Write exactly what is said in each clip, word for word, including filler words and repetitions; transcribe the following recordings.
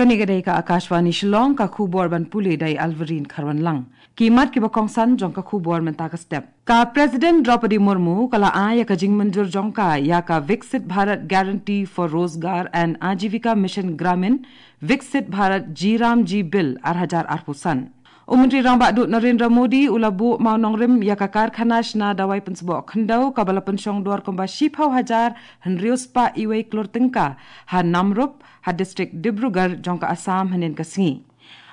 Kane ka dei ka Akashvani Shillong, ka khubor ban pule da i Alverine Kharwanlang. Ki mat kiba kongsan jong ka khubor mynta ka step. Ka President Droupadi Murmu ka la ai ïa ka jingmynjur jong ka ïa ka Viksit Bharat Guarantee for Rozgar and Ajivika Mission Gramin, Viksit Bharat G RAM G Bill ar hajar arphew san. U Myntri Rangbah Duh Narendra Modi u la buh mawnongrim ïa ka karkhana shna dawai pynsboh khyndew kaba la pynshong dor kumba shiphew hajar hynriew spah iwei klur tyngka ha Namrup, ha district Dibrugarh jong ka Assam hynnin ka sngi.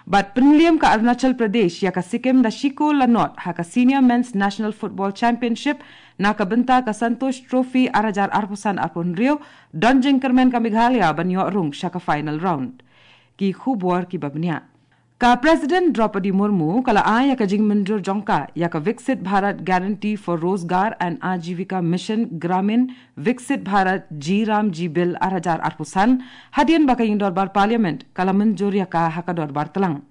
Bad pynliem ka Arunachal Pradesh ïa ka Sikkim da shi kol la nod ha ka Senior Men's National Football Championship na ka bynta ka Santosh Trophy ar hajar arphew san arphew hynriew, don jingkyrmen ka Meghalaya ban ïoh rung sha ka final round. Ki khubor kiba bniah. Ka President Droupadi Murmu ka la ai ïa ka jingmynjur jong ka ïa ka Viksit Bharat Guarantee for Rozgar and Ajivika Mission Gramin, Viksit Bharat G RAM G Bill ar hajar arphew san, hadien ba ka ïing dorbar Parliament ka la mynjur ïa ka ha ka dorbar tlang.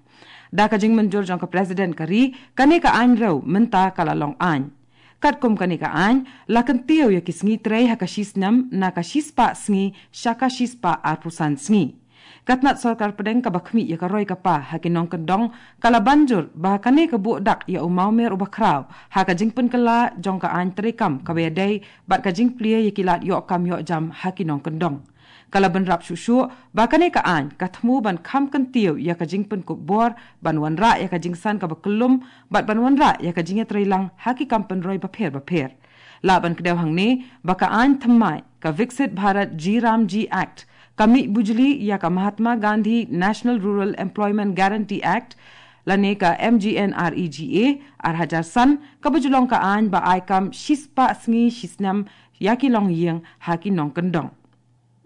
Da ka jingmynjur jong ka President ka ri, kane ka aiñ rew mynta ka la long aiñ. Katkum kane ka aiñ, la kyntiew ïa ki sngi trei ha ka shi snem na ka shi spah sngi sha ka shi spah arphew san sngi. Ka tnat sorkar pdeng kaba khmih ïa ka roi ka par ha ki nongkyndong ka la ban jur ba kane ka buh dak ïa u mawmer uba khraw ha ka jingpynkylla jong ka aiñ treikam kaba ïadei bad ka jingplie ïa ki lad ïoh kam ïoh jam ha ki nongkyndong. Ka la bynrap shuh shuh ba kane ka aiñ ka thmu ban kham kyntiew ïa ka jingpynkup bor, ban wanrah ïa ka jingsan kaba kyllum bad ban wanrah ïa ka jingïatreilang ha ki kam pynroi bapher bapher. Lah ban kdew hangne ba ka aiñ thymmai ka Viksit Bharat G RAM G Act ka mih bujli ïa ka Mahatma Gandhi National Rural Employment Guarantee Act lane ka MGNREGA ar hajar san, kaba ju long ka aiñ ba ai kam shi spah sngi shi snem ïa ki longïing ha ki nongkyndong.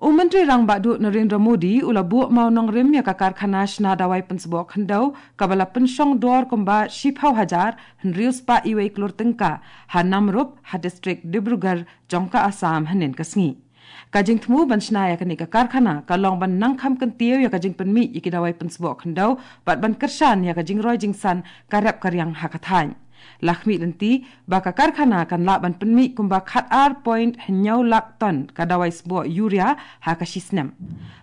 U Myntri Rangbah Duh Narendra Modi u la buh mawnongrim ïa ka karkhana shna dawai pynsboh khyndew kaba la pynshong dor kumba shiphew hajar hynriew spah iwei klur tyngka ha Namrup, ha district Dibrugarh jong ka Assam hynnin ka sngi. Ka jingthmu ban shna ïa kane ka karkhana ka long ban nang kham kyntiew ïa ka jingpynmih ïa ki dawai pynsboh khyndew bad ban kyrshan ïa ka jingroi jingsan ka rep ka riang ha ka thaiñ. La khmih lynti ba ka karkhana kan lah ban pynmih kumba khat ar point hynñiew lak ton ka dawai sboh urea ha ka shi snem.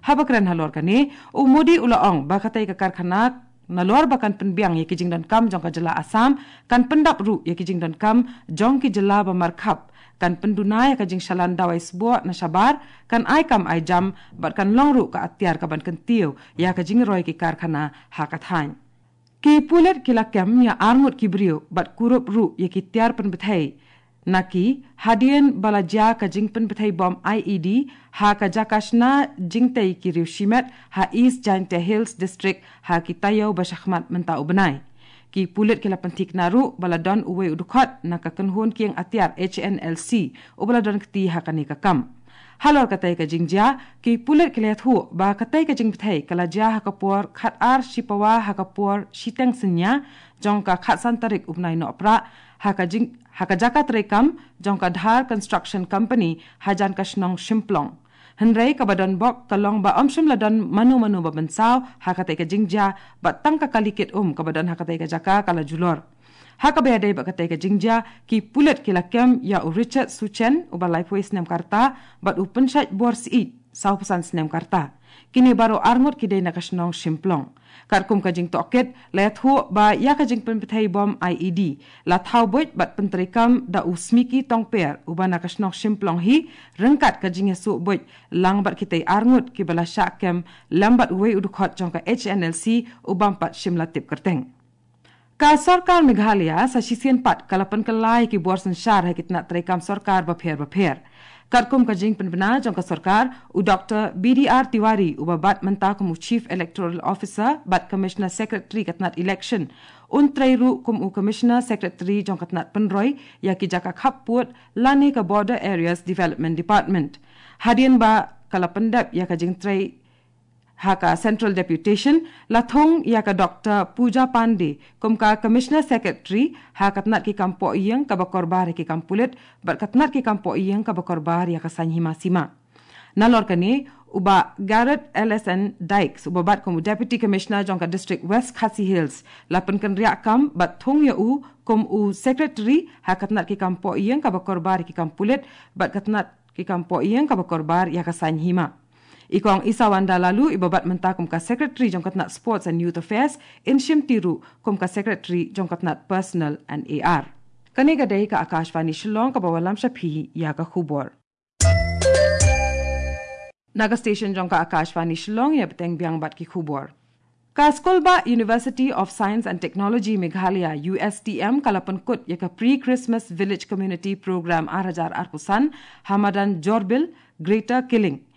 Haba kren halor kane, u Modi u la ong ba katei ka karkhana nalor ba kan pynbiang ïa ki jingdonkam jong ka jylla Assam, kan pyndap ruh ïa ki jingdonkam jong ki jylla ba markhap, kan pynduna ïa ka jingshalan dawai sboh na shabar, kan ai kam ai jam bad kan long ruh ka atiar kaban kyntiew ïa ka jingroi ki karkhana ha ka thaiñ. Ki pulit ki la kem ïa arngut ki briew bad kurup ruh ïa ki tiar pynbthei na ki, hadien ba la jia ka jingpynbthei bom IED ha ka jaka shna jingtei ki riew shimet ha East Jaintia Hills District ha ki taïew ba shakhmat mynta u bnai. Ki pulit ki la pynthikna ruh ba la don uwei u dkhot na ka kynhun kieng atiar HNLC uba la don kti ha kane ka kam. Halor katei ka jingjia, ki pulit ki la ïathuh ba katei ka jingbthei ka la jia ha ka por khat ar shi pawa ha ka por shiteng synñia jong ka khatsan tarik u bnai Nohprah ha ka jing, ha ka jaka treikam jong ka Dhar Construction Company hajan ka shnong Shymplong. Hynrei kaba don bok ka long ba ym shym la don mano mano ba mynsaw ha katei ka jingjia bad tang ka kali kit um kaba don ha katei ka jaka ka la julor. Ha kaba ïadei bad katei ka jingjia, ki pulit ki la kem ïa u Richard Suchen uba laiphew snem ka rta bad u Pynshait Bor Syiem sawphew san snem ka rta. Kine baroh arngut ki dei na ka shnong Shymplong. Katkum ka jingtohkit, la ïathuh ba ïa ka jingpynbthei bom IED la thaw buit bad pyntreikam da u Smiki Tongper uba na ka shnong Shymplong hi, ryngkat ka jingïasuh buit lang bad kitei arngut kiba la shah kem lem bad uwei u dkhot jong ka HNLC u bym pat shym la tip kyrteng. Ka sorkar Meghalaya sa shisien pat ka la pynkylla ïa ki bor synshar ha ki tnat treikam sorkar bapher bapher. Katkum ka jingpynbna jong ka sorkar, u Doctor B D R Tiwari uba bat mynta kum u Chief Electoral Officer bad Commissioner Secretary ka tnat election, un trei ruh kum u Commissioner Secretary jong ka tnat pynroi ïa ki jaka khappud lane ka Border Areas Development Department. Hadien ba ka la pyndep ïa ka jingtrei ha ka Central Deputation, la thung ïa ka Doctor Pooja Pandey kum ka Commissioner Secretary ha ka tnat ki kam pohïing kaba korbar ïa ki kam pulit bad ka tnat ki kam pohïing kaba korbar ïa ka saiñ hima sima. Nalor kane, u Bah Garod L S N Dykes uba bat kum u Deputy Commissioner jong ka District West Khasi Hills la pynkynriah kam bad thung ïa u kum u Secretary ha ka tnat ki kam pohïing kaba korbar ïa ki kam pulit bad ka tnat ki kam pohïing kaba korbar ïa ka saiñ hima. I Kong Isawanda Laloo, iba bat mynta kum ka Secretary jong ka tnat Sports and Youth Affairs, in shimti ruh kum ka Secretary jong ka tnat Personnel and A R. Kane ka dei ka Akashvani Shillong kaba wallam sha phi ïa ka khubor. Na ka station jong ka Akashvani Shillong, ïa bteng biang bad ki khubor. Ka Skulbah University of Science and Technology Meghalaya, U S T M, ka la pynkut ïa ka Pre-Christmas Village Community Program ar hajar arphew san ha madan Jorbil, Greater Killing.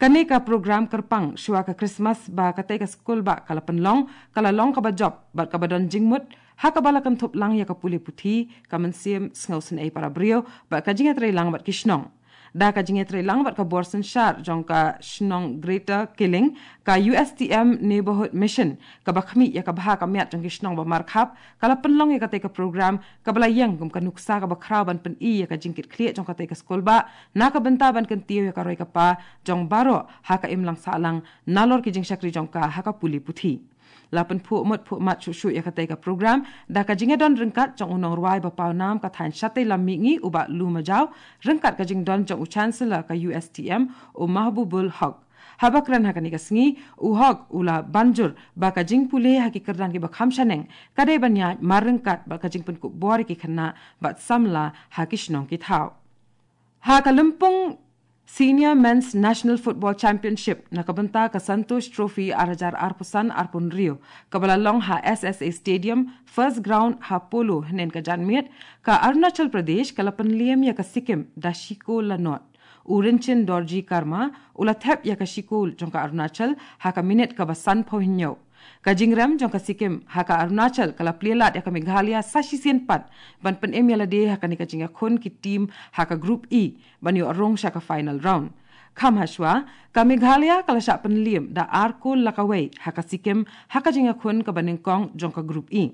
Kane ka program kyrpang shuwa ka Christmas ba katei ka skulbah ka la pynlong, ka la long kaba jop bad kaba don jingmut, ha kaba la kynthup lang ïa ka pule puthi, ka mynsiem sngewsynei para briew bad ka jingïatreilang bad ki shnong. Da ka jingïatreilang bad ka bor synshar jong ka shnong Greater Killing, ka U S T M Neighborhood Mission, kaba khmih ïa ka bha ka miat jong ki shnong ba markhap, ka la pynlong ïa katei ka program, kaba la ïeng kum ka nuksa kaba khraw ban pyni ïa ka jingkitkhlieh jong katei ka skulbah, na ka bynta ban kyntiew ïa ka roi ka par jong baroh ha ka imlang sahlang nalor ki jingshakri jong ka ha ka pule puthi. La pynphuh mut phuh mat shuh shuh ïa katei ka program da ka jingïadon ryngkat jong u nongrwai ba pawnam ka thaiñ Shatei Lam Mihngi, u Bah Lu Majaw, ryngkat ka jingdon jong u Chancellor ka U S T M, u Mahbubul Hoque. Haba kren ha kane ka sngi, u Hoque u la banjur ba ka jingpule ha ki kyrdan kiba kham shaneng ka dei ban ïaid mar ryngkat bad ka jingpynkup bor ïa ki khynnah bad samla ha ki shnong ki thaw. Ha ka lympung Senior Men's National Football Championship na ka bynta ka Santosh Trophy ar hajar arphew san arphew hynriew, kaba la long ha S S A Stadium, First Ground, ha Polo, hynnin ka janmiet, ka Arunachal Pradesh ka la pynliem ïa ka Sikkim da shi kol la nod. U Rinchen Dorji Karma u la thep ïa ka shi kol jong ka Arunachal ha ka minit kaba sanphew hynñiew. Ka jingrem jong ka Sikkim ha ka Arunachal ka la plie lad ïa ka Meghalaya sa shisien pat ban pynim ïa lade ha kane ka jingïakhun ki team ha ka Group E ban ïoh rung sha ka final round. Kham hashwa, ka Meghalaya ka la shah pynliem da ar kol la kawei ha ka Sikkim ha ka jingïakhun kaba nyngkong jong ka Group E.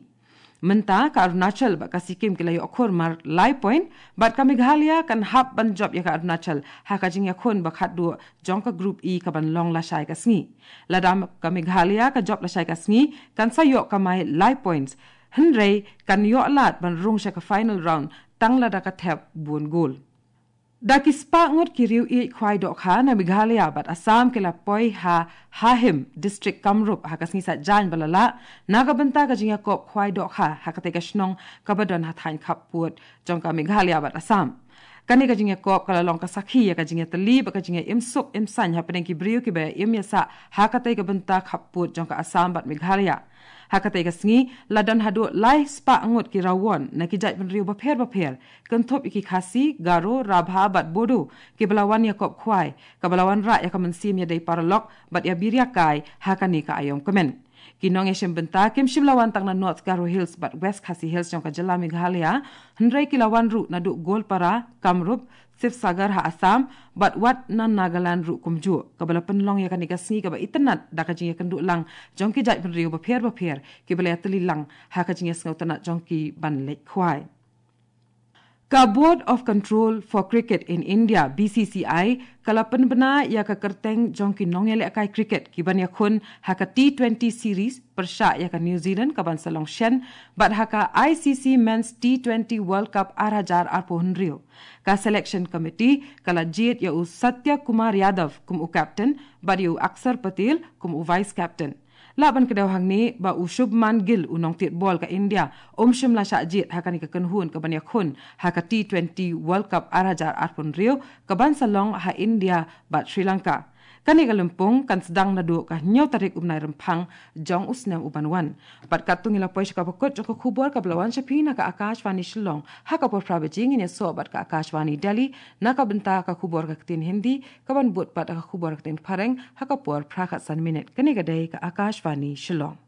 Mynta ka Arunachal bad ka Sikkim ki la ïoh khur mar lai point, bad ka Meghalaya kan hap ban jop ïa ka Arunachal ha ka jingïakhun ba khatduh jong ka Group E kaban long lashai ka sngi. Lada ka Meghalaya ka jop lashai ka sngi, kan sa ïoh kamai lai points, hynrei kan ïoh lad ban rung sha ka final round tang lada ka thep bun gol. Da ki spah ngut ki riew ïeit khwai dohkha na Meghalaya bad Assam ki la poi ha Hahim, District Kamrup, ha ka sngi Saitjaiñ ba la lah, na ka bynta ka jingïakop khwai dohkha ha katei ka shnong kaba don ha thaiñ khappud jong ka Meghalaya bad Assam. Kane ka jingïakop ka la long ka sakhi ïa ka jingïatylli bad ka jingïaimsuk imsaiñ hapdeng ki briew kiba im ïasah ha katei ka bynta khappud jong ka Assam bad Meghalaya. Ha katei ka sngi, la don haduh lai spah ngut ki rawon na ki jaitbynriew bapher bapher, kynthup ïa ki Khasi, Garo, Rabha bad Bodo, kiba la wan ïakop khwai, kaba la wanrah ïa ka mynsiem ïadei paralok bad ïa byriew kai ha kane ka aïom kmen. Ki nongïashim bynta kim shym la wan tang na North Garo Hills bad West Khasi Hills jong ka jylla Meghalaya, hynrei ki la wan ruh naduh Goalpara, Kamrup, Sivasagar ha Assam, bad wat na Nagaland ruh kumjuh, kaba la pynlong ïa kane ka sngi kaba itynnad da ka jingïakynduh lang jong ki jaitbynriew bapher bapher, kiba la ïatylli lang ha ka jingïasngewtynnad jong ki ban leit khwai. Ka Board of Control for Cricket in India, B C C I, ka la pynbna ïa ka kyrteng jong ki nongïalehkai cricket kiban ïakhun ha ka T twenty series pyrshah ïa ka New Zealand kaban sa long shen, bad ha ka I C C Men's T twenty World Cup ar hajar arphew hynriew. Ka selection committee ka la jied ïa u Satya Kumar Yadav kum u captain bad ïa u Axar Patel kum u vice captain. Lah ban kdew hangne ba u Shubman Gill, u nongtied bol ka India, um shym la shah jied ha kane ka kynhun kaban ïakhun ha ka T twenty World Cup ar hajar arphew hynriew kaban sa long ha India bad Sri Lanka. Kane ka lympung kan sdang naduh ka hynñiew tarik u bnai Rymphang jong u snem uban wan. Bad katto ngi la poi sha kaba kut jong ka khubor kaba la wan sha phi na ka Akashvani Shillong. Ha ka por phra baje ngin ïasoh bad ka Akashvani Delhi na ka bynta ka khubor ka ktien Hindi, kaban bud pat ka khubor ka ktien Phareng ha ka por phra khatsan minit. Kane ka dei ka Akashvani Shillong.